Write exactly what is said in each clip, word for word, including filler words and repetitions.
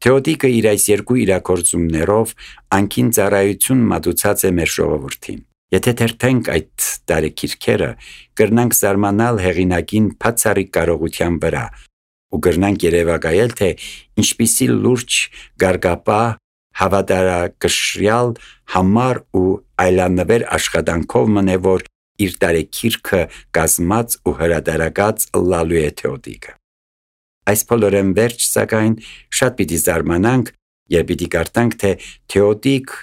Թեոդիկը իր այս երկու իրագործումներով անկին ծառայություն մատուցած է մեր ժողովրդին։ Եթե թերթենք այդ տարեգիրքերը, կրնանք զարմանալ հեղինակին բացառիկ կարողության վրա ու կրնանք երևակայել, թե ինչպիսի լուրջ գարգապահ, հավատարակշռյալ, համառ ու այլանվեր աշխատանքով մնե, որ իր տարեգիրքը կազմած ու հրատարակած լալու է Թեոդիկը։ Այս բոլորեն վերջ, սակայն, շատ պիտի զարմանանք, երբ պիտի կարդանք, թե Թեոդիկ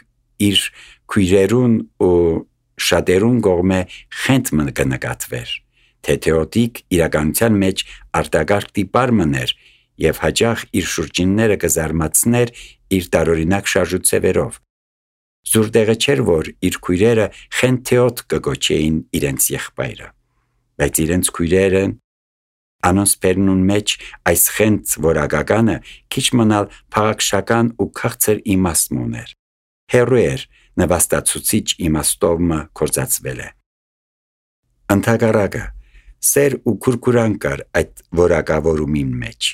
իր քույրերուն ու շատերուն կողմէ խենթ մը կնկատվեր, թե Թեոդիկ իրականության մեջ արտակարգ տիպար մներ և հաճախ իր շուրջինները կզարմացներ իր տարօրինակ շարժուձևերով։ Զուր տեղը չէր, որ իր քույրերը խենթ Թեոդ կգոչեին իրենց եղբայրը, բայց իրենց քույրերը անոնց բերնուն մեջ այս խենթ որակականը քիչ մնալ փաղաքշական ու քաղցր իմաստ ուներ։ Հեռու էր նվաստացուցիչ իմաստով մը կործածվել է։ Ընդհակառակը, սեր ու քուրքուրան կար այդ որակավորումին մեջ։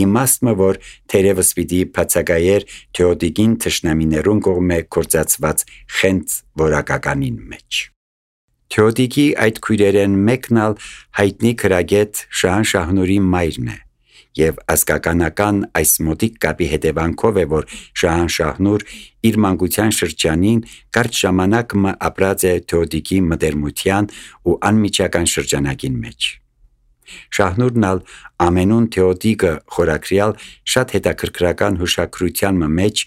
Իմաստը, որ թերևս պիտի բացակայեր Թեոդիկին թշնամիներուն կողմէ կործածված խենթ որակականին մեջ։ Թեոդիկի այդ քույրերեն մեկն ալ հայտնի քրագետ Շահան Շահնուրի մայրն է, և ազգականական այս մոտիկ կապի հետևանքով է, որ Շահան Շահնուր իր մանկության շրջանին կարճ ժամանակ մը ապրած է Թեոդիկի մտերմության ու անմիջական շրջանակին մեջ։ Շահնուրն ալ ամենուն Թեոդիկը խորակրյալ շատ հետաքրքրական հուշագրության մեջ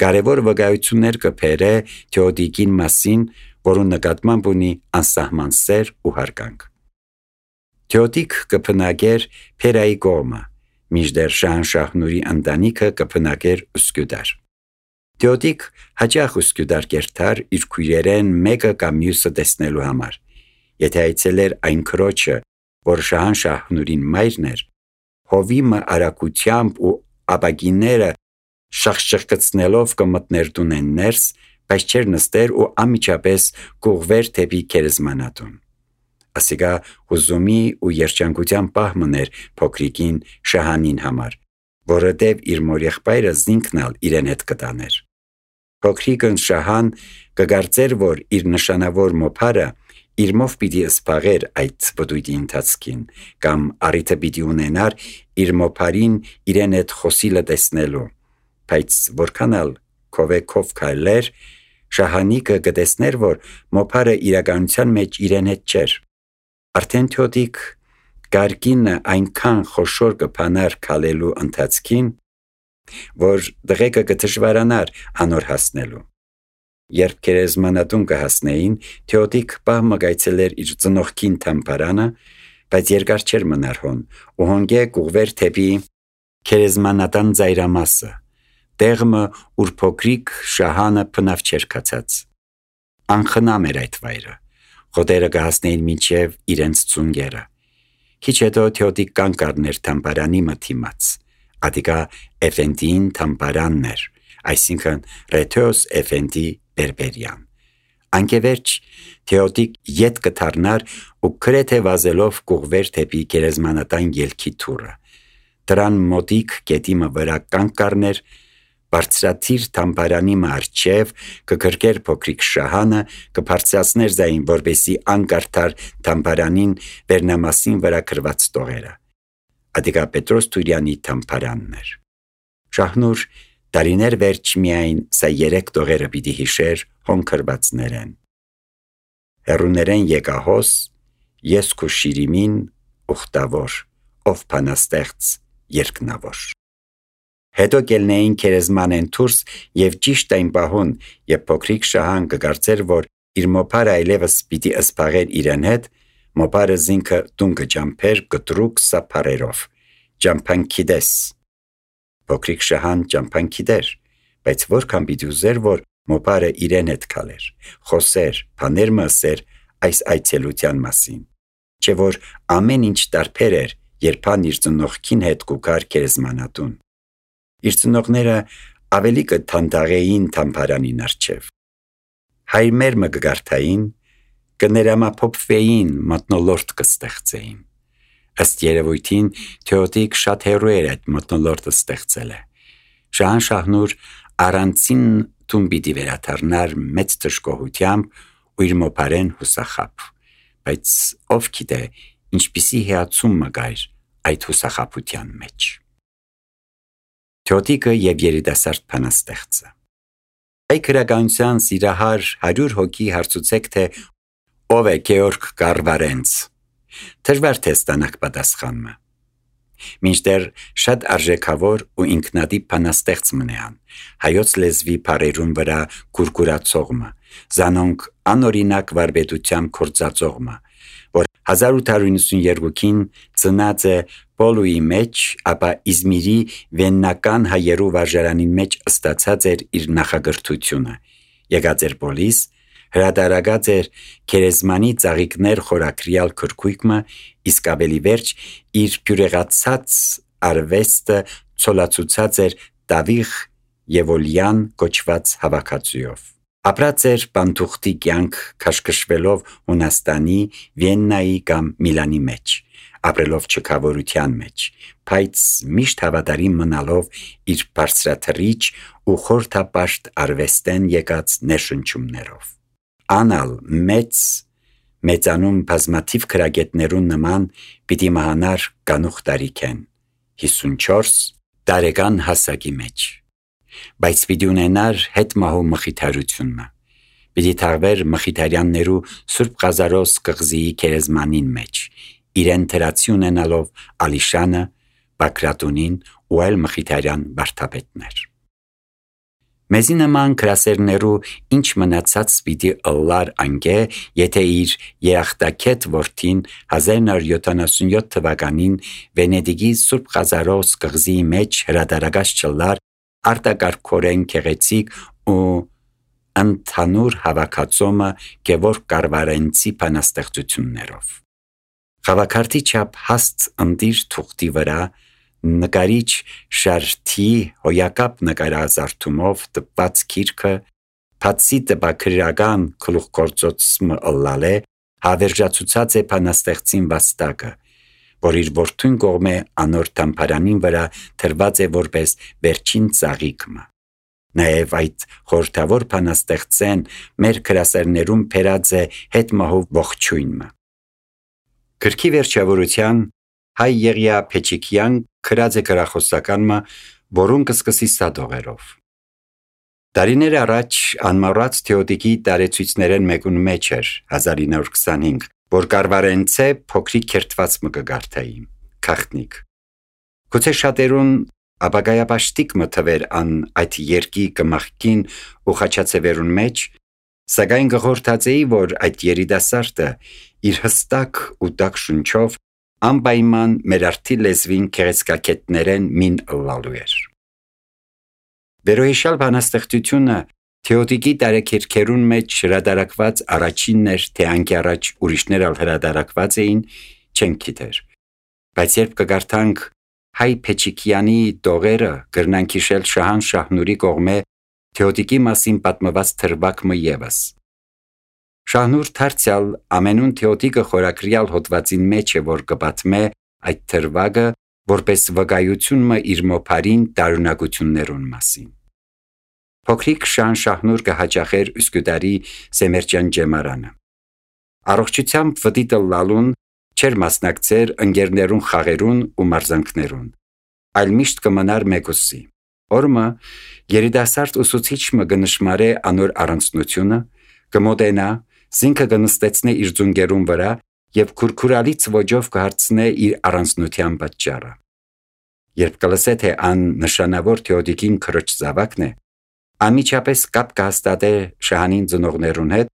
կարևոր վկայություններ կբերե Թեոդիկին մասին, որուն նկատմամբ ունի անսահման սեր ու հարգանք։ Թեոդիկ կփնագեր Փերայի կողմը, մինչդեռ Շահան Շահնուրի ընտանիքը կփնագեր Ուսկյուդար։ Թեոդիկ հաճախ Ուսկյուդար կերթար իր քույրերեն մեկը կամ մյուսը տեսնելու համար։ Եթե այցելեր այն քրոջը, որ Շահան Շահնուրին մայրն էր, հովի մը արագությամբ ու ապակիները շախշխկցնելով կմտներ տունեն ներս, բայց չէր նստեր ու անմիջապես կուղվեր դեպի գերեզմանատուն։ Ասիկա հուզումի ու երջանկության պահ մներ փոքրիկին Շահանին համար, որովհետև իր մորեղբայրը զինքն ալ իրեն հետ կտաներ։ Փոքրիկն Շահան կգարծեր, որ իր նշանավոր մոփարը իր մով պիտի սփաղեր այդ բդույթի ընթացքին, կամ առիթը պիտի ունենար իր մոփարին իրեն հետ խոսիլը տեսնելու, բայց որքան ալ քովեքով քայլեր, Շահանիկը կտեսներ, որ մոփարը իրականության մեջ իրեն հետ չէր։ Արդեն Թեոդիկ գարկինը այնքան խոշոր կփանար քալելու ընթացքին, որ դղեկը կդժվարանար անոր հասնելու։ Երբ գերեզմանատուն կհասնեին, Թեոդիկ պահ մը գայցելեր իր ծնողքին թամբարանը, բայց երկար չէր մնար հոն, ու հոնգե կուղվեր թեպի գերեզմանատան ծայրամասը, տեղը, ուր փոքրիկ Շահանը փնավ չէր կացած։ Անխնամ էր այդ վայրը, խոտերը կհասնեին մինչև իրենց ծունգերը։ Քիչ հետո Թեոդիկ կանգ առներ թամբարանի մթիմաց, ադիկա Էֆենդիին թամբարանն էր, այսինքն Ռեթեոս Էֆենդի Բերբերյան։ Անկևերջ Թեոդիկ ետ կթարնար ու գրեթե վազելով կուղվեր թեպի գերեզմանատան ելքի թուրը։ Դրան մոտիկ գետի մը վրա կանգ կառներ, բարձրաթիր թամբարանի մը առջև կգրկեր փոքրիկ Շահանը, կբարձրացներ ձայն, որպեսզի անկարդար թամբարանին վերնամասին վրա գրված տողերը։ Ադիկա Պետրոս Թուրյանի թամբարանն էր։ Շահնուր տարիներ վերջ միայն սա երեք տողերը պիտի հիշեր հոնքրվածներեն։ Հեռուներեն եկահոս, ես քու շիրիմին ուխտավոր, ով փանաստեղծ երկնավոր։ Հետո կելնեին գերեզմանեն դուրս և ճիշտ այն պահուն, երբ փոքրիկ Շահան կգարծեր, որ իր մոփարը այլևս պիտի սփաղեր իրեն հետ, մոփարը զինքը տուն կջամփեր կտրուկ սափարերով, ջամփանքի դես։ Փոքրիկ Շահան ջամփանքի դեր, բայց որքան պիտի ուզեր, որ մոփարը իրեն հետ քալեր, խոսեր, բաներ մսեր այս այցելության մասին, չէ որ ամեն ինչ տարբեր էր, երբ իր ծնողքին հետ կուքար գերեզմանատուն։ Իր ծնողները ավելի կթանդաղեին թամբարանին առջև։ Հայրմեր մը կգարթային, կներամափոփվեին, մթնոլորտ կստեղծեին։ Ըստ երևույթին Թեոդիկ շատ հեռու էր այդ մթնոլորտը ստեղծել է։ Շահան Շահնուր առանցին տուն պիտի վերադառնար մեծ դժգոհությամբ ու իր մոփարեն հուսախաբ, բայց ով գիտե ինչպիսի հիացում մը գայր այդ հուսախաբության մեջ։ Թյոտիկը եւ երիտասարդ բանաստեղծը։ Այդ քրագանության սիրահար հարյուր հոգի հարցուցեք, թե ով է Գեորգ Կարվարենց։ Դժվար թե ստանաք պատասխանը։ Մինչդեռ շատ արժեքավոր ու ինքնատիպ բանաստեղծ մնան, հայոց լեզվի բառերուն վրա կուրկուրացողը, զանոնք անօրինակ վարպետությամբ կործածողը, որ հազար ութ հարյուր նվաթ ծնած է Պոլուի մեջ, ապա Իզմիրի վեննական հայերու վարժարանի մեջ ստացած էր իր նախագրթությունը, եկած էր Պոլիս, հրադարագած էր Քերեզմանի ծաղիկներ խորակրյալ քրքույկը, իսկ ավելի վերջ իր գյուրեղացած արվեստը ցոլացուցած էր Դավիղ Եվոլյան կոչված հավաքածուով։ Ապրած էր բանտուղտի կյանք քաշքշվելով Հունաստանի, Վիեննայի կամ Միլանի մեջ, ապրելով չքավորության մեջ, բայց միշտ հավատարիմ մնալով իր բարձրաթռիչ ու խորթապաշտ արվեստեն եկած ներշնչումներով։ Անալ մեծ մեծանում բազմաթիվ քրագետներուն նման պիտի մահանար կանուխ տարիքեն, հիսունչորս տարեկան հասակի մեջ, բայց պիտի ունենար հետ մահու մխիթարությունը, պիտի թաղվեր մխիթարյաններու Սուրբ Ղազարոս կղզիի քերեզմանին մեջ, իրեն թրացի ունենալով Ալիշանը, Բակրատունին ու այլ մխիթարյան վարդապետներ։ Մեզի նման քրասերներու ինչ մնացած պիտի ըլլար անգե, եթե իր երախտակետ որդին հազար նոր յոթանասունյոթ թվականին Վենեդիգի Սուրբ Ղազարոս կղզիի մեջ հրադարագած չլար արտակարգորեն գեղեցիկ ու ընդհանուր հավաքածոմը Գևորգ Կարվարենցի բանաստեղծություններով։ Խավաքարտի չափ հաստ ընտիր թուղթի վրա նկարիչ Շարթի հոյակապ նկարազարդումով տպված գիրքը բացի տպագրական գլուխգործոցը ըլլալե հավերժացուցած է բանաստեղծին վաստակը, որ իր որդուն կողմե անոր թամփարանին վրա թրված է որպես վերջին ծաղիկը։ Նաև այդ խորհրդավոր բանաստեղծեն մեր քրասերներում փերած է հետ մահու ողջույնը։ Գրքի վերջավորության հայ Եղիա Փեչիկյան քրած է գրախոսականմը, որուն կսկսի սադողերով։ Տարիներ առաջ անմոռաց Թեոդիկի տարեցույցներեն մեկուն մեջ էր հազար ինը հարյուր քսանհինգ, որ Կարվարենցե փոքրիկ քերթված մը կգարթայի, քաղտնիկ։ Գուցե շատերուն ապագայապաշտիկ մը թվեր ան այդ երկի կմախքին ու խաչացևերուն մեջ, սակայն գղորդացեի, որ այդ երիտասարդը իր հստակ ու տաք շունչով անպայման մեր արդի լեզվին քեղեցկակետներեն մին ըլլալու էր։ Վերոհիշալ բանաստեղծությունը Թեոդիկի տարեքերքերուն մեջ հրադարակված առաջինն էր, թե անկի առաջ ուրիշներ ալ հրադարակված էին, չենք գիտեր, բայց երբ կգարթանք հայ Փեչիկյանի տողերը, կրնանք հիշել Շահան Շահնուրի կողմե Թեոդիկի մասին պատմված թրվակը ևս։ Շահնուր դարձյալ ամենուն Թեոդիկը խորակրյալ հոդվածին մեջ է, որ կպատմե այդ թրվակը որպես վկայությունն իր մոփարին տարունակություններուն մասին։ Փոքրիկ Շահան Շահնուր կհաճախեր Üsküdarի Սեմերջան ջեմարանը։ Առողջությամբ վտիտը լալուն չեր մասնակցեր ընկերներուն խաղերուն ու մարզանքներուն, այլ միշտ կմնար մեկուսի։ Օրմը երիտասարդ ուսուցիչը կնշմարե անոր առանցնությունը, կմոտենա, զինքը կնստեցնե իր ձունգերուն վրա եւ քուրքուրալից ոճով կհարցնե իր առանցնության պատճառը։ Երբ կլսե, թե ան նշանավոր Թեոդիկին քրոջ զավակն է, անմիջապես կապ կհաստատե Շահանին ծնողներուն հետ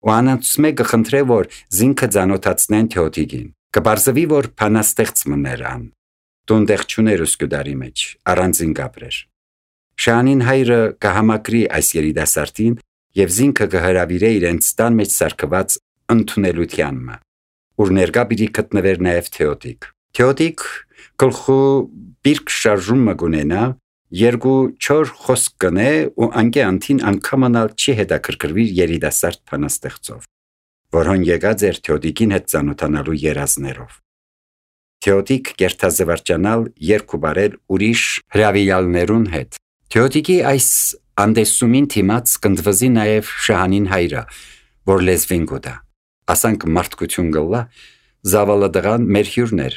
ու անոնց մեկը խնդրե, որ զինքը ծանոթացնեն Թեոդիկին։ Կբարձվի, որ բանաստեղծ մներ ան, տուն տեղ չուներ Üsküdarի մեջ, առանձին կապրեր։ Շահանին հայրը կհամակրի այս երիտասարդին եւ զինքը կհրավիրե իրենց տան մեջ սարքված ընդունելությանն, ուր ներկա պիտի գտնվեր նաեւ Թեոդիկ։ Թեոդիկ գլխու բիրք շարժումը կունենա, երկու չոր խոսք կնե ու անկե անթին անգամանալ չի հետաքրքրվի երիտասարդ բանաստեղծով, որոն եկած էր Թեոդիկին հետ ծանոթանալու երազներով։ Թեոդիկ կերտազվարճանալ երկու բարել ուրիշ հրավիրյալներուն հետ, Թեոդիկի այս անդեսումին թիմած կնդվզի նաև Շահանին հայրը, որ լեզվին գուտա, ասանք մարդկություն գլլա, զավալը դղան մեր հյուրներ,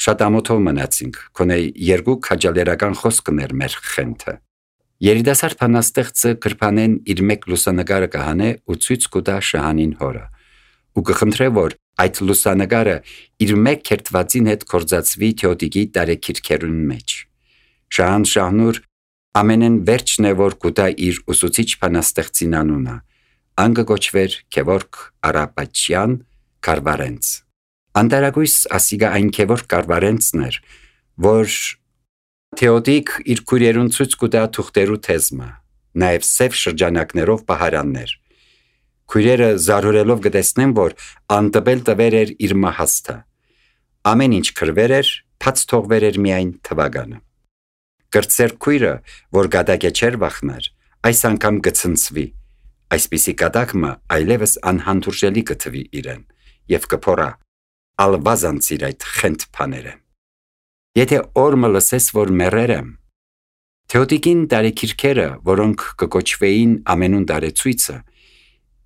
շատ ամոթով մնացինք, կոնե երկու քաջալերական խոսքներ մեր խենթը։ Երիտասարդ փանաստեղծը կրփանեն իր մեկ լուսանկարը կհանե ու ցույց կտա Շահանին հորը, ու կխնդրե, որ այդ լուսանկարը իր մեկ քերթվածին հետ կորձացվի Թեոդիկի տարեքիրքերուն մեջ։ Շահան Շահնուր ամենեն վերջն է, որ կուտա իր ուսուցիչ փանաստեղծին անունը, ան կոչվեր Գևորգ Արապաչյան Կարվարենց։ Անտարագույս ասիգա այն Գևորգ Կարվարենցն էր, որ Թեոդիկ իր քույրերուն ցույց կուտա թուղթերու թեզմը, նաև սև շրջանակներով պահարաններ։ Քույրերը զարհուրելով կտեսնեն, որ անտպել տվեր էր իր մահաստը։ Ամեն ինչ քրվեր էր, փած թողվեր էր միայն թվականը։ Կրծեր քույրը, որ գադակե չեր վախներ, այս անգամ կցնցվի, այսպիսի կատակմը այլևս անհանդուրժելի կթվի իրեն, և կփորա, ալվազանցիր այդ խենթ պաները։ Եթե օրմը լսես, որ մեռեր եմ, Թեոդիկին տարեքիրքերը, որոնք կկոչվեին ամենուն տարեցույցը,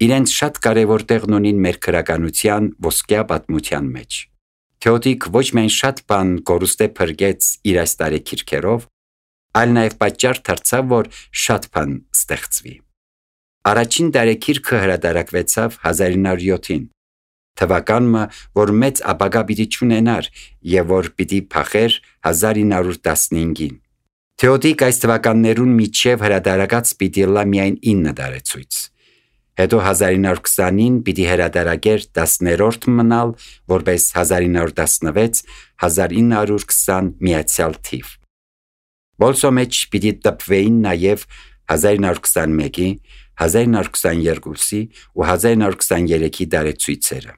իրենց շատ կարևոր տեղն ունին մեր քրականության ոսկյա պատմության մեջ։ Թեոդիկ ոչ միայն շատ բան կորուստե փրկեց իր այս տարեքիրքերով, այլ նաև պատճառ դարձավ, որ շատ բան ստեղծվի։ Առաջին տարեքիրքը հրատարակվեցավ հազար ինը հարյուր յոթին, թվականը, որ մեծ ապագա պիտի չունենար և որ պիտի փախեր հազար ինը հարյուր տասնհինգին։ Թեոդիկ այս թվականներուն միջև հրատարակած պիտի լա միայն ինը տարեցույց։ Հետո հազար ինը հարյուր քսանին պիտի հրատարակեր տասներորդ մնալ, որպես հազար ինը հարյուր տասնվեց հազար ինը հարյուր քսան միացյալ թիվ։ Բոլսո մեջ պիտի տպվեին նաև հազար ինը հարյուր քսանմեկի, հազար ինը հարյուր քսաներկուսի ու հազար ինը հարյուր քսաներեքի տարեցույցերը։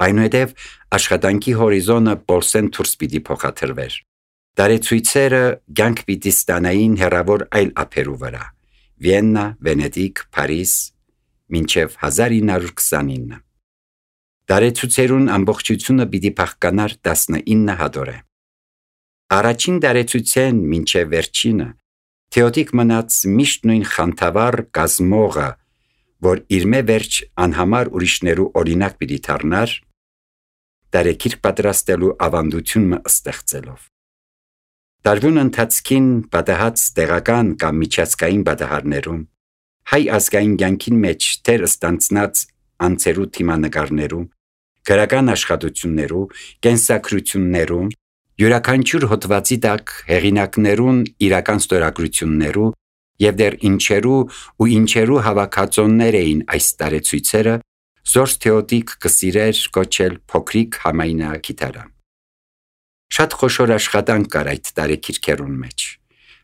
Այնուհետև աշխատանքի հորիզոնը բոլսեն դուրս պիտի փոխադրվեր։ Տարեցույցերը կյանք պիտի ստանային հեռավոր այլ ափերու վրա՝ Վիեննա, Վենետիկ, Փարիզ, մինչև հազար ինը հարյուր քսանինը։ Տարեցույցերուն ամբողջությունը պիտի փախկանար տասնինը հատորե։ Առաջին տարեցույցեն մինչև վերջինը Թեոդիկ մնաց միշտ նույն խանդավառ կազմողը, որ իր մե վերջ անհամար ուրիշներու օրինակ պիտի դառնար, տարեքիրք պատրաստելու ավանդությունը ստեղծելով։ Տարվուն ընթացքին պատահած տեղական կամ միջազգային պատահարներում, հայ ազգային կյանքին մեջ թեր ստանցնած անձերու թիմանկարներու, գրական աշխատություններու, կենսակրություններու, յուրաքանչյուր հոդվածի տակ հեղինակներուն իրական ստորագրություններու և դեռ ինչերու ու ինչերու հավաքածոներ էին այս տարեցույցերը, զորս Թեոդիկ կսիրեր կոչել փոքրիկ համայնագիտարան։ Շատ խոշոր աշխատանք կար այդ տարեքիրքերուն մեջ։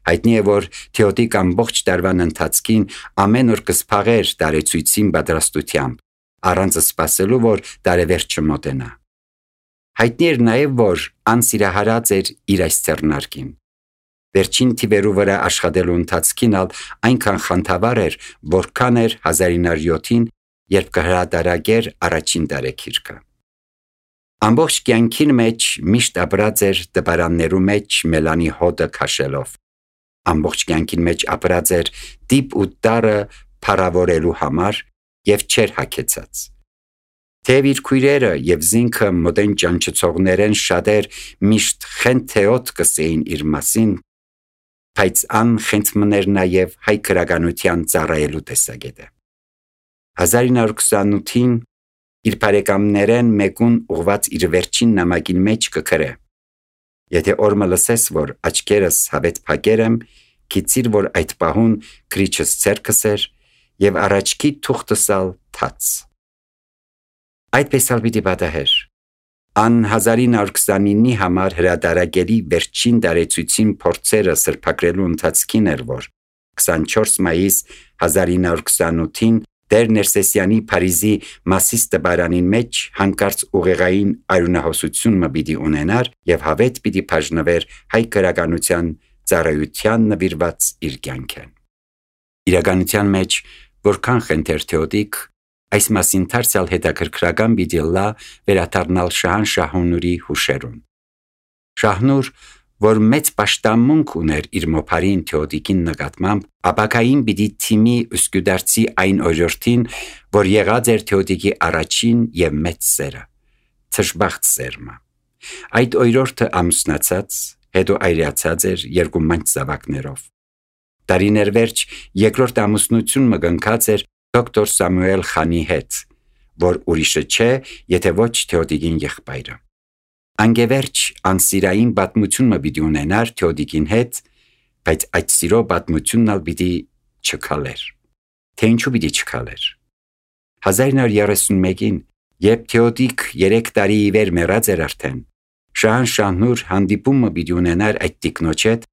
Հայտնի է, որ Թեոդիկ ամբողջ տարվան ընթացքին ամեն օր կսփաղեր տարեցույցին պատրաստությամբ, առանց սպասելու, որ տարեվերջը մոտենա։ Հայտնի էր նաև, որ անսիրահարած էր իր այս ձեռնարկին։ Վերջին թիվերու վրա աշխատելու ընթացքին ալ այնքան խանդավառ էր, որքան էր հազար ինը հարյուր յոթին, երբ կհրատարակեր առաջին տարեքիրքը։ Ամբողջ կյանքին մեջ միշտ ապրած էր տպարաններու մեջ մելանի հոտը քաշելով։ Ամբողջ կյանքին մեջ ապրած էր դիպ ու տարը փառավորելու համար և չեր հագեցած։ Թեև իր քույրերը և զինքը մոտեն ճանչցողներեն շատեր միշտ խենթեոտ կսեին իր մասին, բայց ան խենթմներ նաև հայ քրականության ծառայելու տեսակետը։ հազար ինը հարյուր քսանութին իր բարեկամներեն մեկուն ուղված իր վերջին նամակին մեջ կգրե. Եթե օրմը լսես, որ աչքերս հավետ փակեր եմ, գիտիր, որ այդ պահուն քրիչս ձեռքս էր և առաջքի թուղթս ալ թաց։ Այդպես ալ պիտի պատահեր։ Ան հազար ինը հարյուր քսանինի համար հրատարակելի վերջին տարեցույցին փորձերը սրբագրելու ընթացքին էր, որ քսանչորս մայիս հազար ինը հարյուր քսանութին Տեր Ներսեսյանի Փարիզի Մասիս տպարանին մեջ հանկարծ ուղեղային արյունահոսությունը պիտի ունենար և հավետ պիտի բաժնվեր հայ քրականության ծառայության նվիրված իր կյանքը։ Իրականության մեջ որքան խենթեր Թեոդիկ, այս մասին դարձյալ հետաքրքրական պիտի լա վերադառնալ Շահան Շահնուրի հուշերուն։ Շահնուր, որ մեծ պաշտամունք ուներ իր մոփարին Թեոդիկին նկատմամբ, ապակային պիտի թիմի Ուսկյուդարցի այն օրյորթին, որ եղած էր Թեոդիկի առաջին եւ մեծ սերը, թշբախտ սերմը։ Այդ օրյորթը ամուսնացած, հետո այրացած էր երկու մանչ զավակներով։ Տարիներ վերջ երկրորդ ամուսնություն մգնքած էր դոկտոր Սամուել Խանի հետ, որ ուրիշը չէ, եթե ոչ Թեոդիկին եղբայրը։ Անգևերջ անսիրային պատմությունը պիտի ունենար Թեոդիկին հետ, բայց այդ սիրո պատմությունն ալ պիտի չքալեր։ Թե ինչու պիտի չքալեր։ հազար նոր երեսունմեկին, երբ Թեոդիկ երեք տարի ի վեր մեռած էր արդեն, Շահան Շահնուր հանդիպումը պիտի ունենար այդ տիկնոջ հետ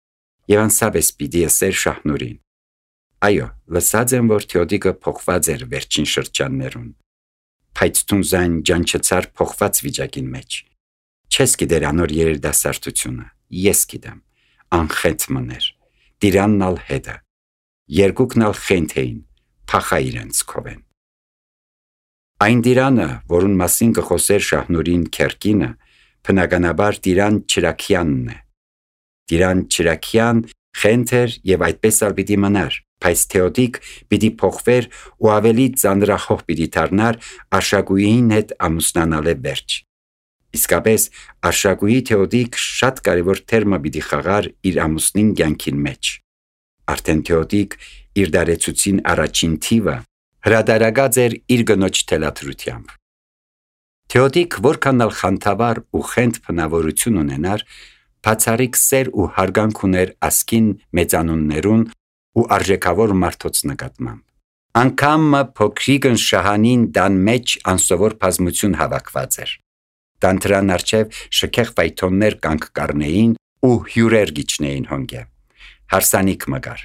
եւ անսավես պիտի ասեր Շահնուրին. Այո, լսած եմ, որ Թեոդիկը փոխված էր վերջին շրջաններուն, բայց տունզան ջանչեցար փոխված վիճակին մեջ։ Չես գիտեր անոր երերդասարտությունը, ես գիտեմ, անխենթ մներ, դիրանն ալ հետը, երկուքն ալ խենթ էին, փախա իրենց քովեն։ Այն դիրանը, որուն մասին կխոսեր Շահնուրին քերկինը, բնականաբար Տիրան Չրաքյանն է։ Տիրան Չրաքյան խենթ էր եւ այդպես ալ պիտի մնար, բայց Թեոդիկ պիտի փոխվեր ու ավելի ծանրախոհ պիտի դառնար Արշակույին հետ ամուսնանալը վերջ։ Իսկապես Արշակույի Թեոդիկ շատ կարևոր թերմը պիտի խաղար իր ամուսնին կյանքին մեջ։ Արդեն Թեոդիկ իր դարեցուցին առաջին թիվը հրադարագած էր իր գնոջ թելադրությամբ։ Թեոդիկ որքան ալ խանդավառ ու խենթ բնավորություն ունենար, բացառիկ սեր ու հարգանք ուներ ասկին մեծանուններուն ու արժեքավոր մարդոց նկատմամբ։ Անգամ փոքրիկն Շահանին դան մեջ անսովոր բազմություն հավաքված էր։ Տանտրան արջև շքեղ ֆայթոններ կանք կառնեին ու հյուրեր գիչնեին հոնգե։ Հարսանիք մգար։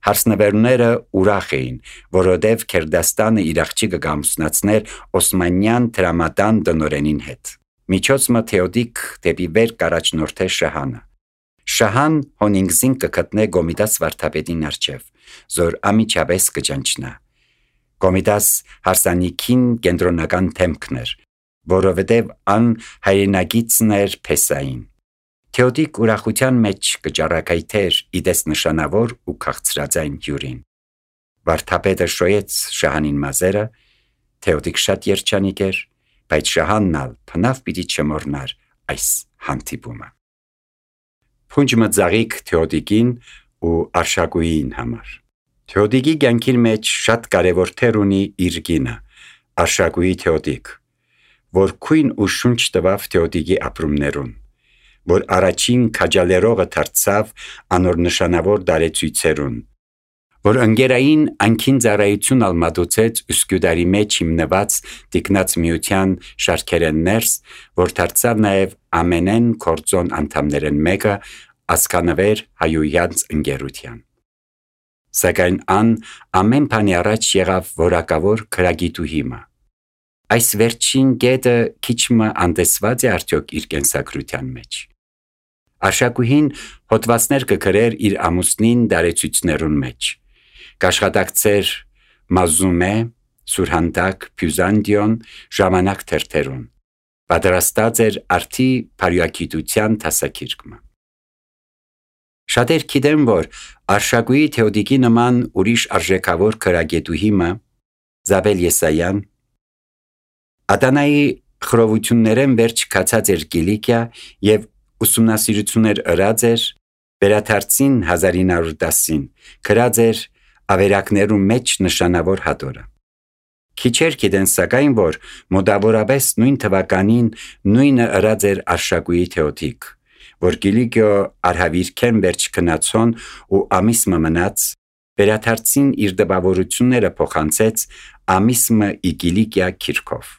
Հարսնվերները ուրախ էին, որովհետև Քերդաստանը իր աղջիկը կամուսնացներ Օսմանյան տրամադան տնօրենին հետ։ Միջոցը Թեոդիկ դեպի վեր կառաջնորդե Շահանը։ Շահան հոնինգզին կգտնե Գոմիդաս վարդապետին արջև, զոր ամիջապես կճանչնա։ Գոմիդաս հարսանիքին կենտրոնական թեմքն էր, որովհետև ան հայրենագիծն էր Փեսային։ Թեոդիկ ուրախության մեջ կճառակայթեր իդես նշանավոր ու քաղցրածային հյուրին։ Վարդապետը շոյեց Շահանին մազերը, Թեոդիկ շատ երջանիկ էր, բայց Շահանն ալ փնավ պիտի չմոռնար այս հանդիպումը։ Փունջը ծաղիկ Թեոդիկին ու Արշակույին համար։ Թեոդիկի կյանքին մեջ շատ կարևոր թեր ունի իր կինը, Արշակույի Թեոդիկ, որ քույն ու շունչ տվավ Թեոդիկի ապրումներուն, որ առաջին քաջալերողը դարձավ անոր նշանավոր դարեցույցերուն, որ ընկերային անքին ծառայություն ալ մատուցեց Ուսկյուդարի մեջ հիմնված տիկնած միության շարքերեն ներս, որ դարձավ նաև ամենեն կորձոն անդամներեն մեկը ասկանվեր հայույանց ընկերության։ Սակայն ան ամեն բանի առաջ եղավ որակավոր քրագիտուհիմը։ Այս վերջին գետը քիչմը անտեսված է արդյոք իր կենսագրության մեջ։ Արշակույին հոդվածներ կգրեր իր ամուսնին դարեցույցներուն մեջ, կաշխատակցեր Մազումե, Սուրհանդակ, Փյուզանդիոն, ժամանակ թերթերուն, պատրաստած էր արդի փարյակիտության տասակիրկը։ Շատեր գիտեն, որ Արշակույի Թեոդիկի նման ուրիշ արժեքավոր քրագետուհիմը Զաբել Եսայան Ադանայի խռովություններեն վերջ կացած էր Կիլիկիա և ուսումնասիրություններ ըրած էր, վերադարձին հազար ինը հարյուր տասին, գրած էր ավերակներու մեջ նշանավոր հատորը։ Քիչեր գիտեն սակայն, որ մոտավորապես նույն թվականին նույնը ըրած էր Արշակույի Թեոդիկ, որ Կիլիկիո արհավիրքեն վերջ քնացոն ու ամիսմը մնաց, վերադարձին իր դպավորությունները փոխանցեց ամիսմը ի Կիլիկիա քիրքով։